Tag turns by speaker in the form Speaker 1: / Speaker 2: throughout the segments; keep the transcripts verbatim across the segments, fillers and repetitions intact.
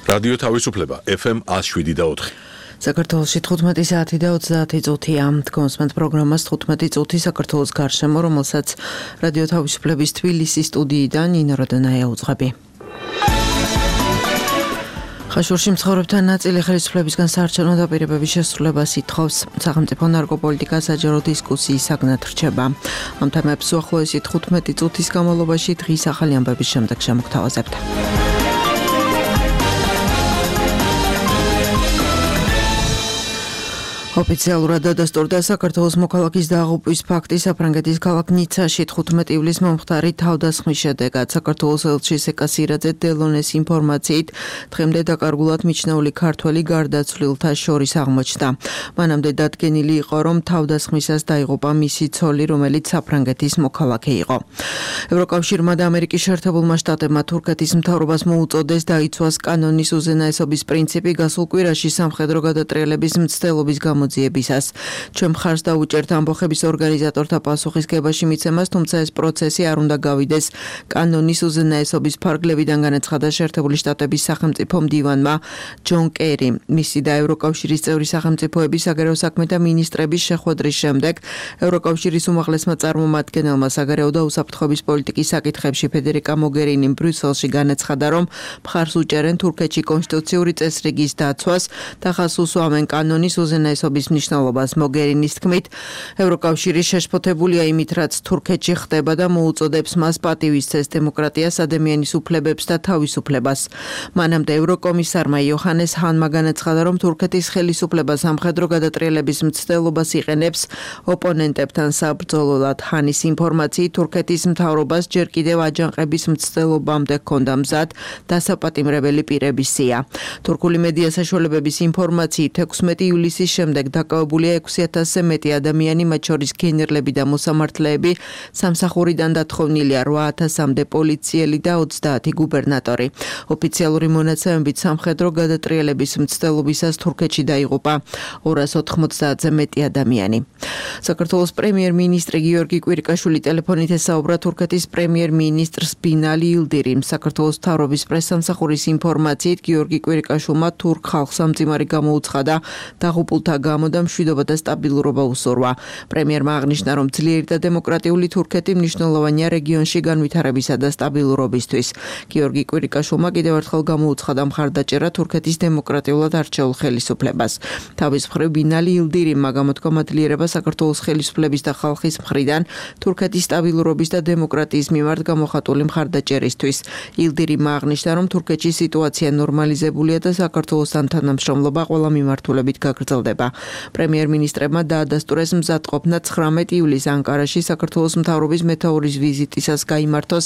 Speaker 1: რადიო თავისუფლება ეფ ემ one oh seven და four.
Speaker 2: საქართველოში თხუთმეტი საათი და ოცდაათი წუთია. Დგომსმენთ პროგრამას თხუთმეტი წუთი საქართველოს გარშემო, რომელსაც რადიო თავისუფლების თბილისის სტუდიიდან ნინო როდონაია უძღვები. ხაშურში მცხოვრებთან ნაწილი ხელისუფლებისგან საარჩევნო დაპირებების შესრულებას ითხოვს. სახელმწიფო ნარკოპოლიტიკა საჯარო დისკუსიის საგნად რჩება. ამ თემებს უახლოესი თხუთმეტი წუთის განმავლობაში დღის ახალი ამბების შემდეგ შემოგთავაზებთ. ოფიციალურად დადასტურდა საქართველოს მოქალაქის დაღუპვის ფაქტი საფრანგეთის ქალაქ ნიცაში თხუთმეტი ივლისს მომხდარი თავდასხმის შედეგად. საქართველოს ელჩი სეკა სირაძე დელონეს ინფორმაციით დღემდე დაკარგულად მიჩნეული ქართველი გარდაცვლილთა შორის აღმოჩნდა. მანამდე დადგენილი იყო, რომ თავდასხმისას დაიღუპა მისი ცოლი, რომელიც საფრანგეთის მოქალაქე იყო. ევროკავშირმა და ამერიკის შეერთებულმა შტატებმა თურქეთის მთავრობას მოუწოდეს დაიცვას კანონის უზენაესობის პრინციპი გასულ კვირაში სამხედრო გადატრიალების მცდელობის გამო ჩვენ მხარს დაუჭერთ ამბოხების ორგანიზატორთა პასუხისგებაში მიცემას, თუმცა ეს პროცესი არ უნდა გავიდეს კანონის უზენაესობის ფარგლებიდან, განაცხადა შეერთებული შტატების სახელმწიფო მდივანმა ჯონ კერი. მისი და ევროკავშირის წევრი სახელმწიფოების საგარეო საქმეთა მინისტრების შეხვედრის შემდეგ ევროკავშირის უმაღლესმა წარმომადგენელმა საგარეო და უსაფრთხოების პოლიტიკის საკითხებში ფედერიკა მოგერინიმ ბრიუსელში განაცხადა, რომ მხარს უჭერენ თურქეთში კონსტიტუციური წესრიგის დაცვას და ხაზს უსვამენ კანონის უზენაესობის მნიშვნელობას. მოგერინის თქმით, ევროკავშირი შეშფოთებულია იმით, რაც თურქეთში ხდება და მოუწოდებს მას პატივისცეს დემოკრატიას, ადამიანის უფლებებს და თავისუფლებას. მანამდე ევროკომისარმა იოჰანეს ჰანმა განაცხადა, რომ თურქეთის ხელისუფლება სამხედრო გადატრიალების მცდელობას იყენებს ოპონენტებთან საბრძოლოდ. ჰანის ინფორმაციით, თურქეთის მთავრობას ჯერ კიდევ აჯანყების მცდელობამდე ჰქონდა მზად დასაპატიმრებელი პირების სია. თურქული მედია საშუალებების ინფორმაციით, ექვსმეტი ივლისის შემდეგ დაკავებულია ექვსი ათასზე მეტი ადამიანი, მათ შორის გენერლები და მოსამართლეები, სამსახურიდან დათხოვნილია რვა ათასამდე პოლიციელი და ოცდაათი გუბერნატორი. ოფიციალური მონაცემებით სამხედრო გადატრიალების მცდელობისას თურქეთში დაიღუპა ორას ოთხმოცდაათზე მეტი ადამიანი. საქართველოს პრემიერ-მინისტრი გიორგი კვირიკაშვილი ტელეფონით ესაუბრა თურქეთის პრემიერ-მინისტრს ბინალი ილდირიმ. საქართველოს მთავრობის პრესსამსახურის ინფორმაციით, გიორგი კვირიკაშვილმა თურქ ხალხს ამძიმარი გამოუცხადა დაღუპულთა გამო და მშვიდობა და სტაბილურობა უსურვა. პრემიერმა აღნიშნა, რომ ძლიერი და დემოკრატიული თურქეთი მნიშვნელოვანია რეგიონში განვითარებისა და სტაბილურობისთვის. გიორგი კვირიკაშვილმა კიდევ ერთხელ გამოუცხადა მხარდაჭერა თურქეთის დემოკრატიულად არჩეულ ხელისუფლებას. თავის მხრივ ბინალი ილდირიმმა გამოთქვა მადლიერება საქართველოს ხელისუფლების და ხალხის მხრიდან თურქეთის სტაბილურობის და დემოკრატიის მიმართ გამოხატული მხარდაჭერისთვის. ილდირიმმა აღნიშნა, რომ თურქეთში სიტუაცია ნორმალიზებულია და საქართველოსთან თანამშრომლობა ყველა მიმართულებით გაგრძელდება. პრემიერ-მინისტრებმა დაადასტურეს მზადყოფნა ცხრამეტი ივლისს ანკარაში საქართველოს მთავრობის მეთაურის ვიზიტისას გაიმართოს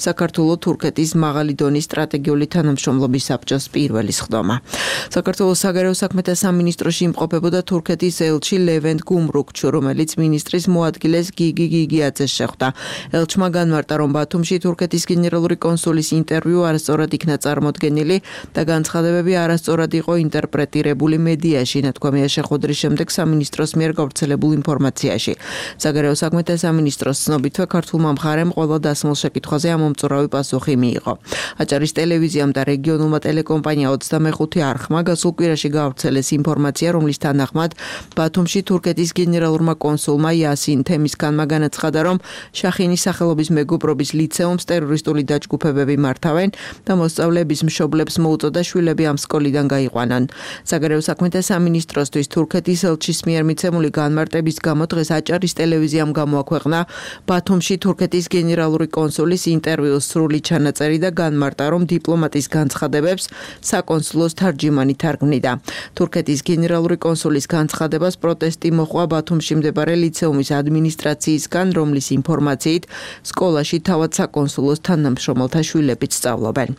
Speaker 2: საქართველო-თურქეთის მაღალი დონის სტრატეგიული თანამშრომლობის საბჭოს პირველი სხდომა. საქართველოს საგარეო საქმეთა სამინისტროში იმყოფებოდა თურქეთის ელჩი ლევენტ გუმრუქჩუ, რომელიც მინისტრის მოადგილეს გიგი გიგიაძეს შეხვდა. ელჩმა განმარტა, რომ ბათუმში თურქეთის გენერალური კონსულის ინტერვიუ არასწორად იქნა წარმოდგენილი და განცხადებები არასწორად იყო ინტერპრეტირებული მედიაში, ნათქვამია შეხვედრის შემდეგ სამინისტროს მიერ გავრცელებულ ინფორმაციაში. საგარეო საქმეთა სამინისტროს ცნობითვე ქართულმა მხარემ ყველა დასმულ შეკითხვაზე ამომწურავი პასუხი მიიღო. აჭარის ტელევიზიამ და რეგიონულმა ტელეკომპანია ოცდამეხუთე არხმა გასულ კვირაში გავრცელეს ინფორმაცია, რომლის თანახმად ბათუმში თურქეთის გენერალურმა კონსულმა იასინ თემისქანმა განაცხადა, რომ შახინის სახელობის მეგობრობის ლიცეუმს ტერორისტული დაჯგუფებები მართავენ და მოსწავლეების მშობლებს მოუწოდა შვილები ამ სკოლიდან გაიყვანონ. საგარეო საქმეთა სამინისტროსთვის თურქეთის ელჩის მიერ მიცემული განმარტების გამო დღეს აჭარის ტელევიზიამ გამოაქვეყნა ბათუმში თურქეთის გენერალური კონსულის ინტერვიუს სრული ჩანაწერი და განმარტა, რომ დიპლომატის განცხადებებს საკონსულოს თარჯიმანი თარგმნიდა. თურქეთის გენერალური კონსულის განცხადებას პროტესტი მოჰყვა ბათუმში მდებარე ლიცეუმის ადმინისტრაციისგან, რომლის ინფორმაციით სკოლაში თავად საკონსულოს თანამშრომელთა შვილებიც სწავლობენ.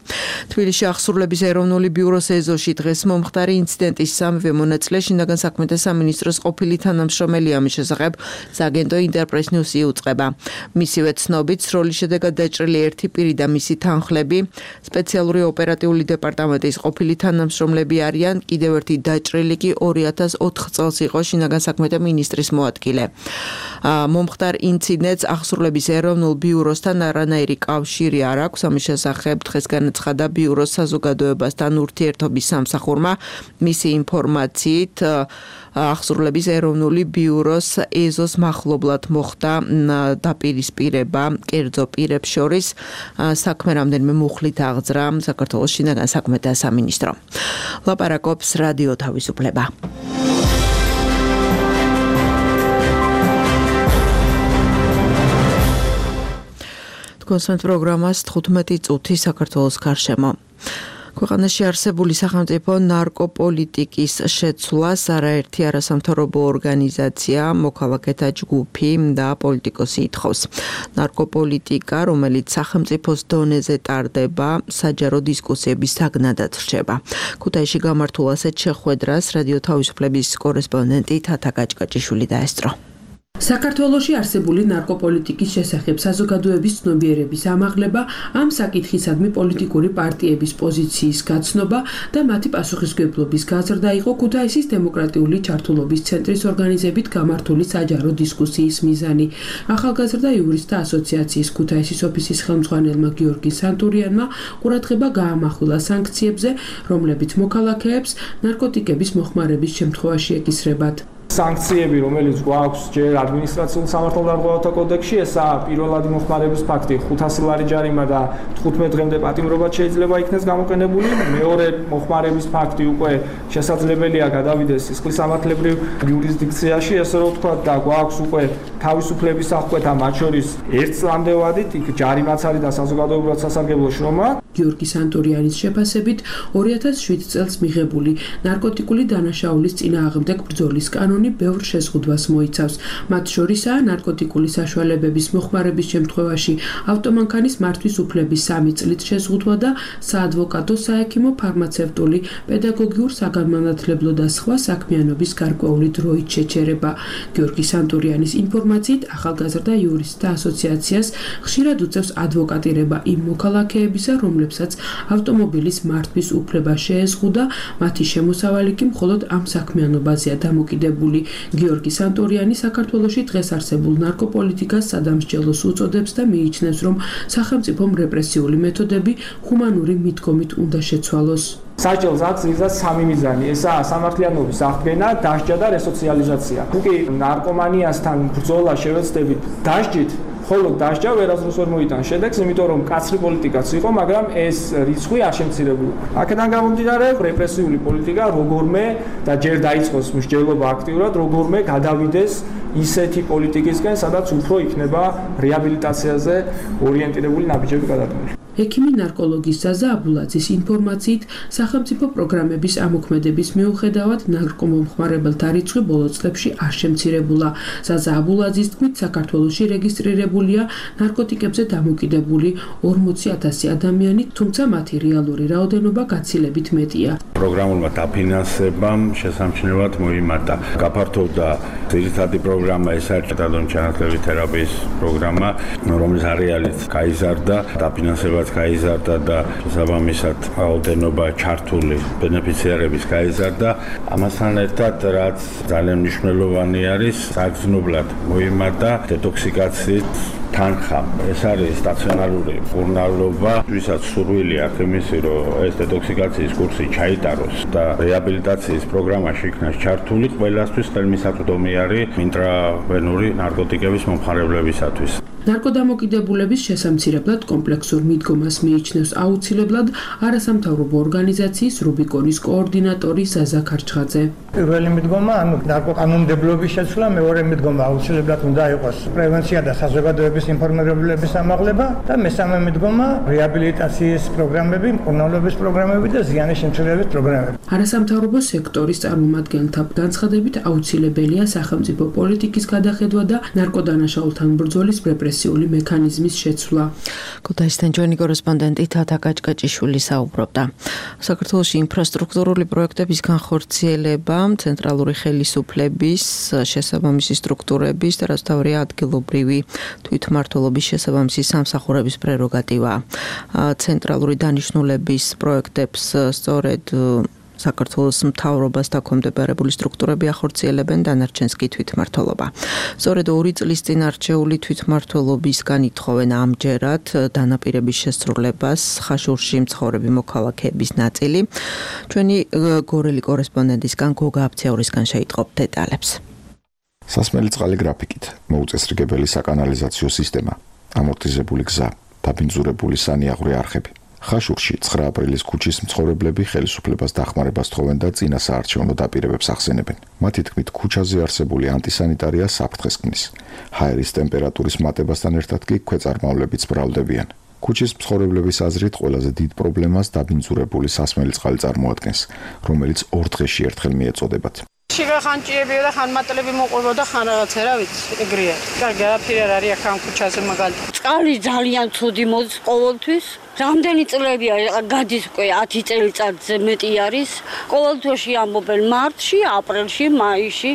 Speaker 2: თბილისში აღსრულების ეროვნული ბიუროს ეზოში დღეს მომხდარი ინციდენტის სამივე მონაწილე შინაგან საქმეთა საქმეთა სამინისტროს ყოფილი თანამშრომელი ამის შესახებ სააგენტო ინტერპრეს ნიუსი იუწყება. მისივე ცნობით, სროლის შედეგად დაჭრილი ერთი პირი და მისი თანხლები სპეციალური ოპერატიული დეპარტამენტის ყოფილი თანამშრომლები არიან, კიდევ ერთი დაჭრილი კი ორი ათას ოთხ წელს იყო შინაგან საქმეთა მინისტრის მოადგილე. მომხდარ ინციდენტს აღსრულების ეროვნულ ბიუროსთან არანაირი კავშირი არ აქვს. ამის შესახებ დღეს განაცხადა ბიუროს საზოგადოებასთან ურთიერთობის სამსახურმა. მისი ინფორმაციით აღსრულების ეროვნული ბიუროს ეზოს მახლობლად მოხდა დაპირისპირება კერძო პირებს შორის. საქმე რამდენიმე მუხლით აღძრა საქართველოს შინაგან საქმეთა სამინისტრო. ლაპარაკობს რადიო თავისუფლება. კონსერტ პროგრამას თხუთმეტი წუთი საქართველოს გარშემო. ქვეყანაში არსებული სახელმწიფო ნარკოპოლიტიკის შეცვლას არაერთი არასამთავრობო ორგანიზაცია, მოქალაქეთა ჯგუფი და პოლიტიკოსი ითხოვს. ნარკოპოლიტიკა, რომელიც სახელმწიფოს დონეზე ტარდება, საჯარო დისკუსიების საგნადად რჩება. ქუთაისში გამართულ ასეთ შეხვედრას რადიო თავისუფლების კორესპონდენტი თათა გაჭკაჭიშვილი დაესწრო.
Speaker 3: საქართველოში არსებული ნარკოპოლიტიკის შესახებ საზოგადოების ცნობიერების ამაღლება, ამ საკითხისადმი პოლიტიკური პარტიების პოზიციის გაცნობა და მათი პასუხისმგებლობის გაზრდა იყო ქუთაისის დემოკრატიული ჩართულობის ცენტრის ორგანიზებით გამართული საჯარო დისკუსიის მიზანი. ახალგაზრდა იურისტთა ასოციაციის ქუთაისის ოფისის ხელმძღვანელმა გიორგი სანტურიანმა ყურადღება გაამახვილა სანქციებზე, რომლებიც მოქალაქეებს ნარკოტიკების მოხმარების შემთხვევაში ეკისრებათ.
Speaker 4: სანქციები, რომელიც გვაქვს ჯერ ადმინისტრაციულ სამართალდამღებელთა კოდექსში, ესაა პირველადი მოხმარების ფაქტი ხუთასი ლარი ჯარიმა და თხუთმეტ დღემდე პატიმრობაც შეიძლება იქნეს გამოყენებული. მეორე მოხმარების ფაქტი უკვე შესაძლებელია გადავიდეს სისხლისამართლებრივ იურისდიქციაში, ესე რომ ვთქვათ, და გვაქვს უკვე თავისუფლების აღკვეთა, მათ შორის ერთ წლამდე ვადით, იქ ჯარიმაც არის და საზოგადოებრივად სასარგებლო შრომა. გიორგი სანტურიანის შეფასებით ორი ათას შვიდ წელს მიღებული ნარკოტიკული დანაშაულის წინააღმდეგ ბრძოლის კანონი ბევრ შეზღუდვას მოიცავს. მათ შორისაა ნარკოტიკული საშუალებების მოხმარების შემთხვევაში ავტომანქანის მართვის უფლების სამი წლით შეზღუდვა და საადვოკატო, საექიმო, ფარმაცევტული, პედაგოგიურ, საგანმანათლებლო და სხვა საქმიანობის გარკვეული დროით შეჩერება. გიორგი სანტურიანის ინფორმაციით, ახალგაზრდა იურისტთა ასოციაციას ხშირად უწევს ადვოკატირება იმ მოქალაქეებისა, რომლებსაც ავტომობილის მართვის უფლება შეეზღუდა, მათი შემოსავალი კი მხოლოდ ამ საქმიანობაზეა დამოკიდებული. გიორგი სანტურიანი საქართველოში დღეს არსებულ ნარკოპოლიტიკას სადამსჯელოს უწოდებს და მიიჩნევს, რომ სახელმწიფომ რეპრესიული მეთოდები ჰუმანური მიდგომით უნდა შეცვალოს. საჭელს აქვს იზას სამი მიზანი. ესაა სამართლიანობის აღდგენა, დასჯა და რესოციალიზაცია. თუკი ნარკომანიასთან ბრძოლა შევეცდებით დასჯით, ხოლო დასჯა ვერასდროს ვერ მოიტანს შედეგს, იმიტომ რომ კაცრი პოლიტიკაც იყო, მაგრამ ეს რიცხვი არ შემცირებულა. აქედან გამომდინარე, რეპრესიული პოლიტიკა როგორმე და ჯერ დაიწყოს მსჯელობა აქტიურად, როგორმე გადავიდეს ისეთი პოლიტიკისკენ, სადაც უფრო იქნება რეაბილიტაციაზე ორიენტირებული ნაბიჯები გადადგმული. ექიმი ნარკოლოგის ზაზა აბულაძის ინფორმაციით, სახელმწიფო პროგრამების ამოქმედების მიუხედავად ნარკომომხმარებელთა რიცხვი ბოლო წლებში არ შემცირებულა. ზაზა აბულაძის თქმით, საქართველოში რეგისტრირებულია ნარკოტიკებზე დამოკიდებული ორმოცი ათასი ადამიანი, თუმცა მათი რეალური რაოდენობა გაცილებით მეტია.
Speaker 5: პროგრამულმა დაფინანსებამ შესამჩნევად მოიმატა. გაფართოვდა ძირითადი პროგრამა, ეს არის ჩანაცვლების თერაპიის პროგრამა, რომლის არეალიც გაიზარდა, დაფინანსებაც გაიზარდა და შესაბამისად რაოდენობა ჩართული ბენეფიციარების გაიზარდა. ამასთან ერთად, რაც ძალიან მნიშვნელოვანი არის, საგრძნობლად მოიმატა დეტოქსიკაციით თანხა. ეს არის სტაციონარული მკურნალობა, ვისაც სურვილი აქვს იმისი, რომ ეს დეტოქსიკაციის კურსი ჩაიტაროს და რეაბილიტაციის პროგრამაში იქნას ჩართული ყველასთვის ხელმისაწვდომი არის ინტრავენური ნარკოტიკების მომხმარებლებისათვის.
Speaker 3: ნარკოდამოკიდებულების შესამცირებლად კომპლექსურ მიდგომას მიიჩნევს აუცილებლად არასამთავრობო ორგანიზაციის რუბიკონის კოორდინატორი ზაზა ქარჩხაძე.
Speaker 6: პირველი მიდგომა, ანუ ნარკოკანონმდებლობის შეცვლა, მეორე მიდგომა აუცილებლად უნდა იყოს პრევენცია და საზოგადოების მკურნალობის ინფორმირებულების ამაღლება და მესამე მიდგომა რეაბილიტაციის პროგრამები, მკურნალობის პროგრამები და ზიანის შემცირების პროგრამები.
Speaker 3: არასამთავრობო სექტორის წარმომადგენელთა განცხადებით აუცილებელია სახელმწიფო პოლიტიკის გადახედვა და ნარკოდანაშაულთან ბრძოლის რეპრესიული მექანიზმის შეცვლა.
Speaker 2: ქუთაისიდან ჩვენი კორესპონდენტი თათა კაჭკაჭიშვილი საუბრობდა. საქართველოში ინფრასტრუქტურული პროექტების განხორციელება ცენტრალური ხელისუფლების შესაბამისი სტრუქტურების და რაც თავია ადგილობრივი თვითმმართველობის შესაბამისი სამსახურების პრეროგატივაა. ცენტრალური დანიშნულების პროექტებს სწორედ საქართველოს მთავრობას დაქვემდებარებული სტრუქტურები ახორციელებენ, დანარჩენს კი თვითმმართველობა. სწორედ ორი წლის წინ არჩეული თვითმმართველობისგან ითხოვენ ამჯერად დანაპირების შესრულებას ხაშურში მცხოვრები მოქალაქეების ნაწილი. ჩვენი გორელი კორესპონდენტისგან გოგა აფციაურისგან შეიტყობთ დეტალებს.
Speaker 7: სასმელი წყალი გრაფიკით, მოუწესრიგებელი საკანალიზაციო სისტემა, ამორტიზებული გზა, დაბინძურებული სანიაღვრე არხები. ხაშურში ცხრა აპრილის ქუჩის მცხოვრებლები ხელისუფლებას დახმარებას თხოვენ და წინა საარჩევნო დაპირებებს ახსენებენ. მათი თქმით, ქუჩაზე არსებული ანტისანიტარია საფრთხეს ქმნის. ჰაერის ტემპერატურის მატებასთან ერთად კი ქვეწარმავლებიც ბრალდებიან. ქუჩის მცხოვრებლების აზრით ყველაზე დიდ პრობლემას დაბინძურებული სასმელი წყალი წარმოადგენს, რომელიც ორ დღეში ერთხელ მიეწოდებათ.
Speaker 8: შიგა ხანჭიებია და ხანმატლები მოყვება და ხან რაღაცა რა ვიცი, ეგრეა. კარგი, არაფერი არ არის ამ ქუჩაზე მაგალითად. წყალი ძალიან ცუდი მოდის ყოველთვის. რამდენი წლებია გადის უკვე ათი წელიწადზე მეტი არის. ყოველთვიში ამბობენ მარტში, აპრილში, მაისში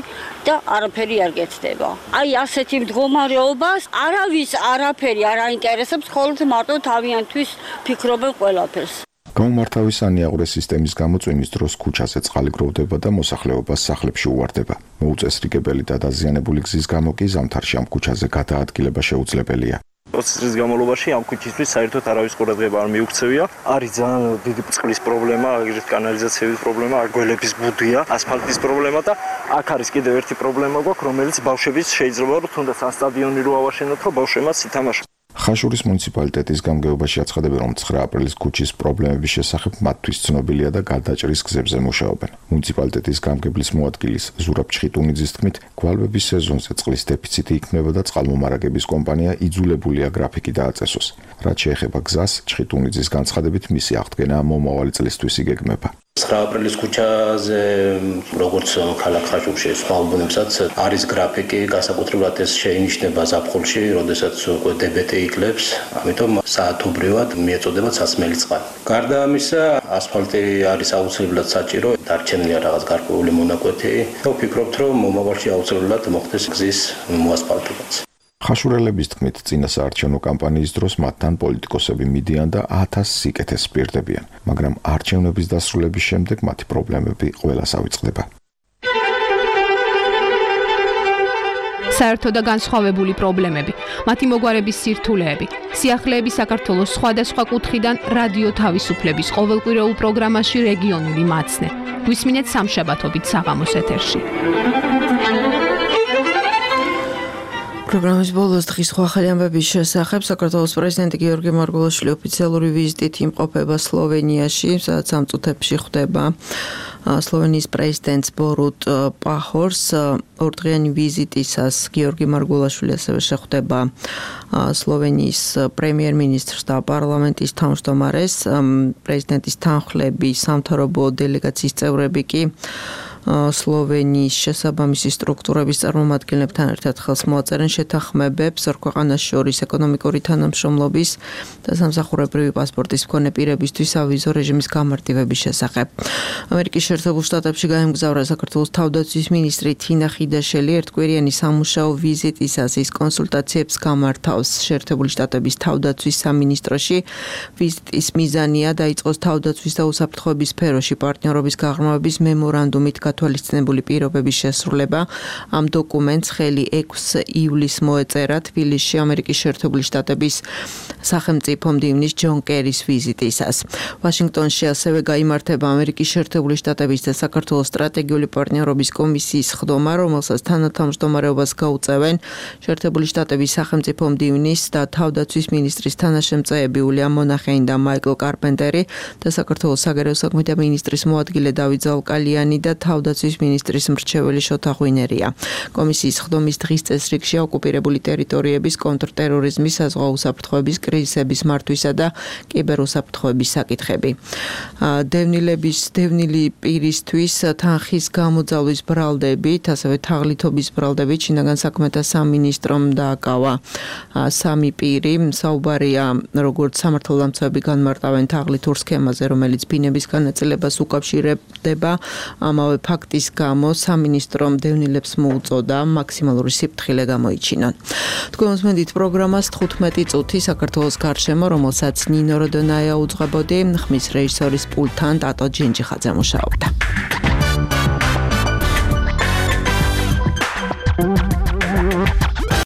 Speaker 8: და არაფერი არ გეცდება. აი ასეთი მდგომარეობას არავის არაფერი არ აინტერესებს, ხოლმე მარტო თავიანთვის ფიქრობენ ყველაფერს.
Speaker 7: გამომართავი სანიაღვრე სისტემის გამო წვიმის დროს ქუჩაზე წყალი გროვდება და მოსახლეობას სახლებში უვარდება. მოუწესრიგებელი და დაზიანებული გზის გამო კი ზამთარში ამ ქუჩაზე გადაადგილება შეუძლებელია.
Speaker 9: ოცი წლის განმავლობაში ამ ქუჩისთვის საერთოდ არავის ყურადღება არ მიუქცევია. არის ძალიან დიდი წყლის პრობლემა, აგრეთვე კანალიზაციების პრობლემა, გველების ბუდია, ასფალტის პრობლემა და აქ არის კიდევ ერთი პრობლემა გვაქვს, რომელიც ბავშვების შეიძლება რომ თუნდაც ამ სტადიონი რო ავაშენოთ, რომ ბავშვებმაც ითამაშონ.
Speaker 7: ხაშურის მუნიციპალიტეტის გამგეობაში აცხადებენ, რომ ცხრა აპრილის ქუჩის პრობლემების შესახებ მათთვის ცნობილია და გადაჭრის გზებზე მუშაობენ. მუნიციპალიტეტის გამგებლის მოადგილის ზურაბ ჩხიტუნიძის თქმით, გვალვების სეზონზე წყლის დეფიციტი იქნება და წყალმომარაგების კომპანია იძულებულია გრაფიკი დააწესოს. რაც შეეხება გზას, ჩხიტუნიძის განცხადებით მისი აღდგენა მომავალი წლისთვის იგეგმება.
Speaker 10: ცხრა აპრილის ქუჩაზე როგორც ქალაქ ხაშურში სხვა უბნებსაც არის გრაფიკი, განსაკუთრებულად ეს შეინიშნება ზაფხულში, როდესაც უკვე დებეტი იკლებს, ამიტომ საათობრივად მიეწოდება სასმელი წყალი. გარდა ამისა, ასფალტი არის აუცილებლად საჭირო, დარჩენილია რაღაც გარკვეული მონაკვეთი და ვფიქრობთ, რომ მომავალში აუცილებლად მოხდეს გზის მოასფალტებაც.
Speaker 7: ხაშურელების თქმით, წინა საარჩევნო კამპანიის დროს მათთან პოლიტიკოსები მიდიან და ათას სიკეთეს პირდებიან, მაგრამ არჩევნების დასრულების შემდეგ მათი პრობლემები ყველას ავიწყდება.
Speaker 11: საერთო და განსხვავებული პრობლემები, მათი მოგვარების სირთულეები, სიახლეები საქართველოს სხვადასხვა კუთხიდან რადიო თავისუფლების ყოველკვირეულ პროგრამაში რეგიონული მაცნე. გვისმინეთ სამშაბათობით საღამოს ეთერში.
Speaker 2: პროგრამის ბოლოს დღის სხვა ახალი ამბების შესახებ საქართველოს პრეზიდენტი გიორგი მარგველაშვილი ოფიციალური ვიზიტით იმყოფება სლოვენიაში, სადაც ამ წუთებში ხვდება სლოვენიის პრეზიდენტს ბორუტ პაჰორს. ორდღიანი ვიზიტისას გიორგი მარგველაშვილი ასევე შეხვდება სლოვენიის პრემიერ-მინისტრს და პარლამენტის თავმჯდომარეს. პრეზიდენტის თანხლები, სამთავრობო დელეგაციის წევრები კი სლოვენიის შესაბამისი სტრუქტურების წარმომადგენლებთან ერთად ხელს მოაწერენ შეთანხმებებს ორ ქვეყანას შორის ეკონომიკური თანამშრომლობის და სამსახურებრივი პასპორტის მქონე პირებისთვის ავიზო რეჟიმის გამარტივების შესახებ. ამერიკის შეერთებულ შტატებში გაემგზავრა საქართველოს თავდაცვის მინისტრი თინა ხიდაშელი. ერთკვირიანი სამუშაო ვიზიტისას ის კონსულტაციებს გამართავს შეერთებული შტატების თავდაცვის სამინისტროში. ვიზიტის მიზანია დაიწყოს თავდაცვის და უსაფრთხოების სფეროში პარტნიორობის გაღრმავების მემორანდუმით თვალისწინებული პირობების შესრულება. ამ დოკუმენტს ხელი ექვსი ივლისს მოეწერა თბილისში ამერიკის შეერთებული შტატების სახელმწიფო მდივნის ჯონ კერის ვიზიტისას. ვაშინგტონში ასევე გაიმართება ამერიკის შეერთებული შტატების და საქართველოს სტრატეგიული პარტნიორობის კომისიის ხდომა, რომელსაც თანათავმჯდომარეობას გაუწევენ შეერთებული შტატების სახელმწიფო მდივნის და თავდაცვის მინისტრის თანაშემწეები უილიამ მონახეინი და მაიკლ კარპენტერი და საქართველოს საგარეო საქმეთა მინისტრის მოადგილე დავით ზალკალიანი და თავდაცვის თავდაცვის მინისტრის მრჩეველი შოთა ღვინერია. კომისიის ხდომის დღის წესრიგში ოკუპირებული ტერიტორიების კონტრტერორიზმის, საზღვაო უსაფრთხოების, კრიზისების მართვისა და კიბერუსაფრთხოების საკითხები. დევნილების დევნილი პირისთვის თანხის გამოძალვის ბრალდებით, ასევე თაღლითობის ბრალდებით შინაგან საქმეთა სამინისტრომ დააკავა სამი პირი. საუბარია როგორც სამართალდამცავები განმარტავენ თაღლითურ სქემაზე, რომელიც ბინების განაწილებას უკავშირდება. ამავე ფაქტის გამო სამინისტრომ დევნილებს მოუწოდა მაქსიმალური სიფრთხილე გამოიჩინონ. თქვენ მოსმენთ პროგრამას თხუთმეტი წუთი საქართველოს გარშემო, რომელსაც ნინო როდონაია უძღვებოდი, ხმის რეჟისორის პულტთან ტატო ჯინჯიხაძე მუშაობდა.